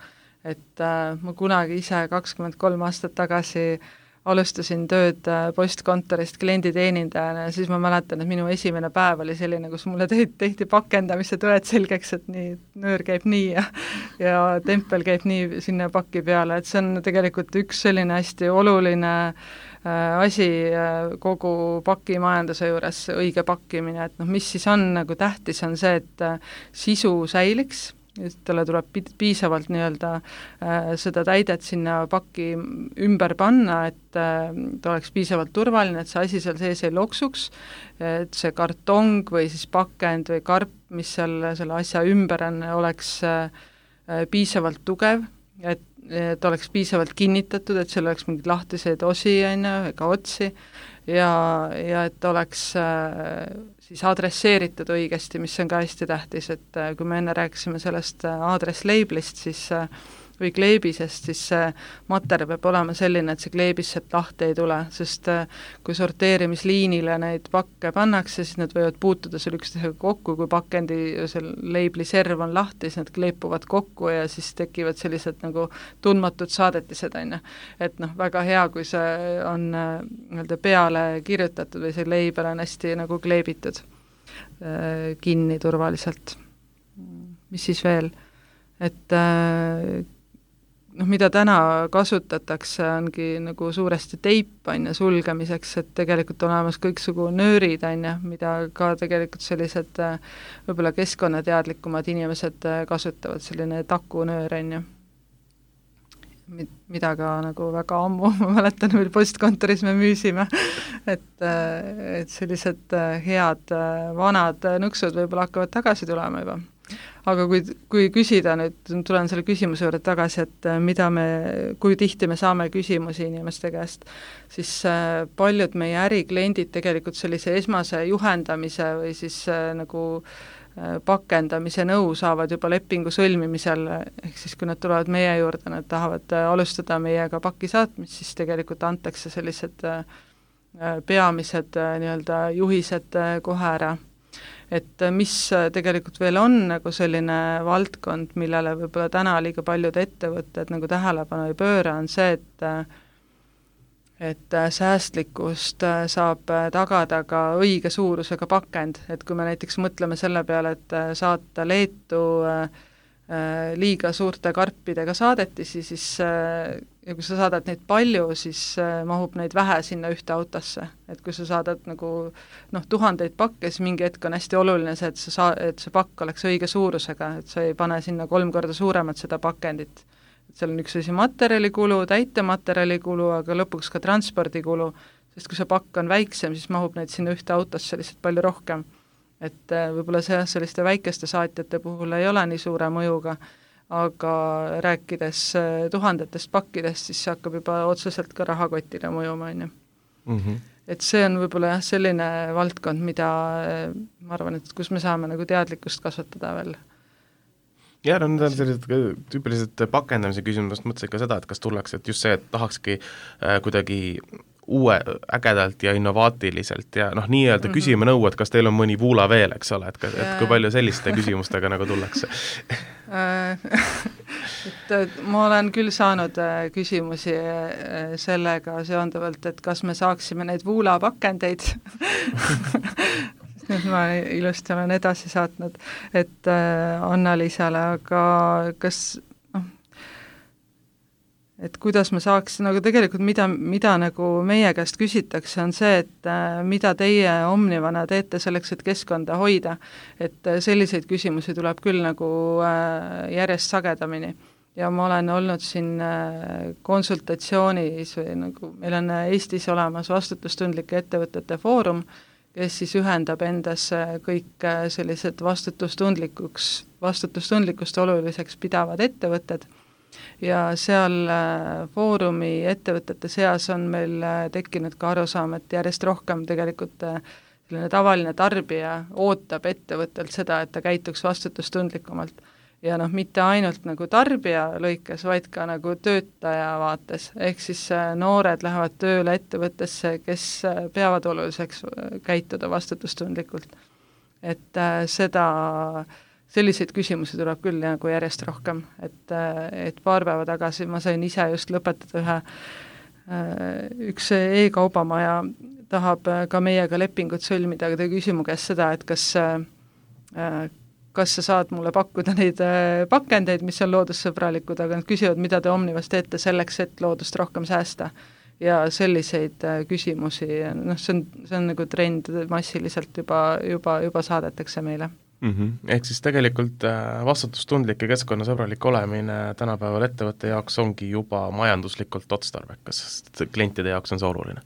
Et äh, ma kunagi ise kakskümmend kolm aastat tagasi alustasin tööd postkontorist klienditeenindajana ja siis ma mäletan, et minu esimene päev oli selline, kus mulle tehti, tehti pakendamise tõed selgeks, et nii, nöör käib nii ja, ja tempel käib nii sinna paki peale, et see on tegelikult üks selline hästi oluline äh, asi äh, kogu pakimajanduse juures, õige pakkimine, et noh, mis siis on nagu tähtis, on see, et äh, sisu säiliks, talle tuleb piisavalt nii-öelda äh, seda täidet sinna pakki ümber panna, et äh, ta oleks piisavalt turvaline, et see asi seal sees ei loksuks, et see kartong või siis pakend või karp, mis seal selle asja ümber on, oleks äh, piisavalt tugev, et, et oleks piisavalt kinnitatud, et seal oleks mingeid lahtiseid osi, on ju, ega otsi, ja, ja et oleks äh, siis adresseeritud õigesti, mis on ka hästi tähtis, et äh, kui me enne rääkisime sellest äh, aadress-labelist, siis äh, või kleebisest, siis see materjal peab olema selline, et see kleebis sealt lahti ei tule, sest äh, kui sorteerimisliinile neid pakke pannakse, siis need võivad puutuda seal üksteisega kokku, kui pakendi seal leibli serv on lahti, siis need kleepuvad kokku ja siis tekivad sellised nagu tundmatud saadetised, on ju. Et noh, väga hea, kui see on äh, nii-öelda peale kirjutatud või see leibel on hästi nagu kleebitud äh, kinni turvaliselt. Mis siis veel? Et äh, noh, mida täna kasutatakse, ongi nagu suuresti teip, on ju, sulgemiseks, et tegelikult on olemas kõiksugu nöörid, on ju, mida ka tegelikult sellised võib-olla keskkonnateadlikumad inimesed kasutavad, selline takunöör, on ju, mida ka nagu väga ammu, ma mäletan, meil postkontoris me müüsime, et, et sellised head vanad nõksud võib-olla hakkavad tagasi tulema juba. Aga kui, kui küsida nüüd, tulen selle küsimuse juurde tagasi, et mida me, kui tihti me saame küsimusi inimeste käest, siis paljud meie ärikliendid tegelikult sellise esmase juhendamise või siis nagu pakendamise nõu saavad juba lepingu sõlmimisel, ehk siis kui nad tulevad meie juurde, nad tahavad alustada meiega paki saatmist, siis tegelikult antakse sellised peamised nii-öelda juhised kohe ära. Et mis tegelikult veel on nagu selline valdkond, millele võib-olla täna liiga paljud ettevõtted nagu tähelepanu ei pööra, on see, et et säästlikkust saab tagada ka õige suurusega pakend, et kui me näiteks mõtleme selle peale, et saata Leetu liiga suurte karpidega saadetisi, siis ja kui sa saadad neid palju, siis mahub neid vähe sinna ühte autosse. Et kui sa saadad nagu noh, tuhandeid pakke, siis mingi hetk on hästi oluline see, et, sa, et see pakk oleks õige suurusega, et sa ei pane sinna kolm korda suuremat seda pakendit. Et seal on üks asi materjalikulu, täitematerjalikulu, aga lõpuks ka transpordikulu, sest kui see pakk on väiksem, siis mahub neid sinna ühte autosse lihtsalt palju rohkem. Et võib-olla see selliste väikeste saatjate puhul ei ole nii suure mõjuga, aga rääkides tuhandetest pakkidest, siis see hakkab juba otseselt ka rahakotile mõjuma, on ju. Mm-hmm. Et see on võib-olla jah, selline valdkond, mida ma arvan, et kus me saame nagu teadlikkust kasvatada veel. Ja, no need on sellised tüüpilised pakendamise küsimusest, mõtlesin ka seda, et kas tullakse, et just see, et tahakski äh, kuidagi uue, ägedalt ja innovaatiliselt ja noh, nii-öelda mm -hmm. küsime nõu, et kas teil on mõni vuula veel, eks ole, et, et kui palju selliste küsimustega nagu tullakse et ma olen küll saanud küsimusi sellega seonduvalt, et kas me saaksime neid vuulapakendeid nüüd ma ilusti olen edasi saatnud, et Anna-Liisale, aga kas et kuidas me saaks, nagu tegelikult mida, mida nagu meie käest küsitakse, on see, et mida teie Omnivana teete selleks, et keskkonda hoida. Et selliseid küsimusi tuleb küll nagu järjest sagedamini. Ja ma olen olnud siin konsultatsioonis või nagu meil on Eestis olemas vastutustundlike ettevõtete foorum, kes siis ühendab endas kõik sellised vastutustundlikuks, vastutustundlikust oluliseks pidavad ettevõtted, ja seal foorumi ettevõtete seas on meil tekkinud ka arusaam, et järjest rohkem tegelikult selline tavaline tarbija ootab ettevõttelt seda, et ta käituks vastutustundlikumalt. Ja noh, mitte ainult nagu tarbija lõikes, vaid ka nagu töötaja vaates. Ehk siis noored lähevad tööle ettevõttesse, kes peavad oluliseks käituda vastutustundlikult. Et seda selliseid küsimusi tuleb küll nagu järjest rohkem, et, et paar päeva tagasi ma sain ise just lõpetada ühe, üks e-kaubamaja tahab ka meiega lepingut sõlmida, aga ta küsimu käest seda, et kas, kas sa saad mulle pakkuda neid pakendeid, mis on loodussõbralikud, aga nad küsivad, mida te Omnivas teete selleks, et loodust rohkem säästa. Ja selliseid küsimusi, noh, see on, see on nagu trend massiliselt juba, juba, juba saadetakse meile. Mm -hmm. Ehk siis tegelikult vastutustundlik ja keskkonnasõbralik olemine tänapäeval ettevõtte jaoks ongi juba majanduslikult otstarbekas, sest klientide jaoks on see oluline.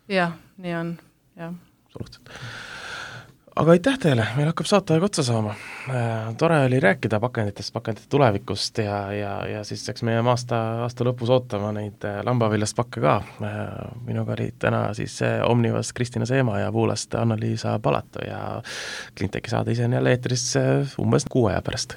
Jah, nii on, jah. Absoluutselt. Aga aitäh teile, meil hakkab saateaeg otsa saama. Tore oli rääkida pakenditest, pakendite tulevikust ja, ja, ja siis eks meie aasta, aasta lõpus ootama neid lambaviljast pakke ka. Minuga oli täna siis Omnivas Kristina Seema ja Vuulast Anna-Liisa Palato ja Cleanteki saade ise on jälle eetris umbes kuu aja pärast.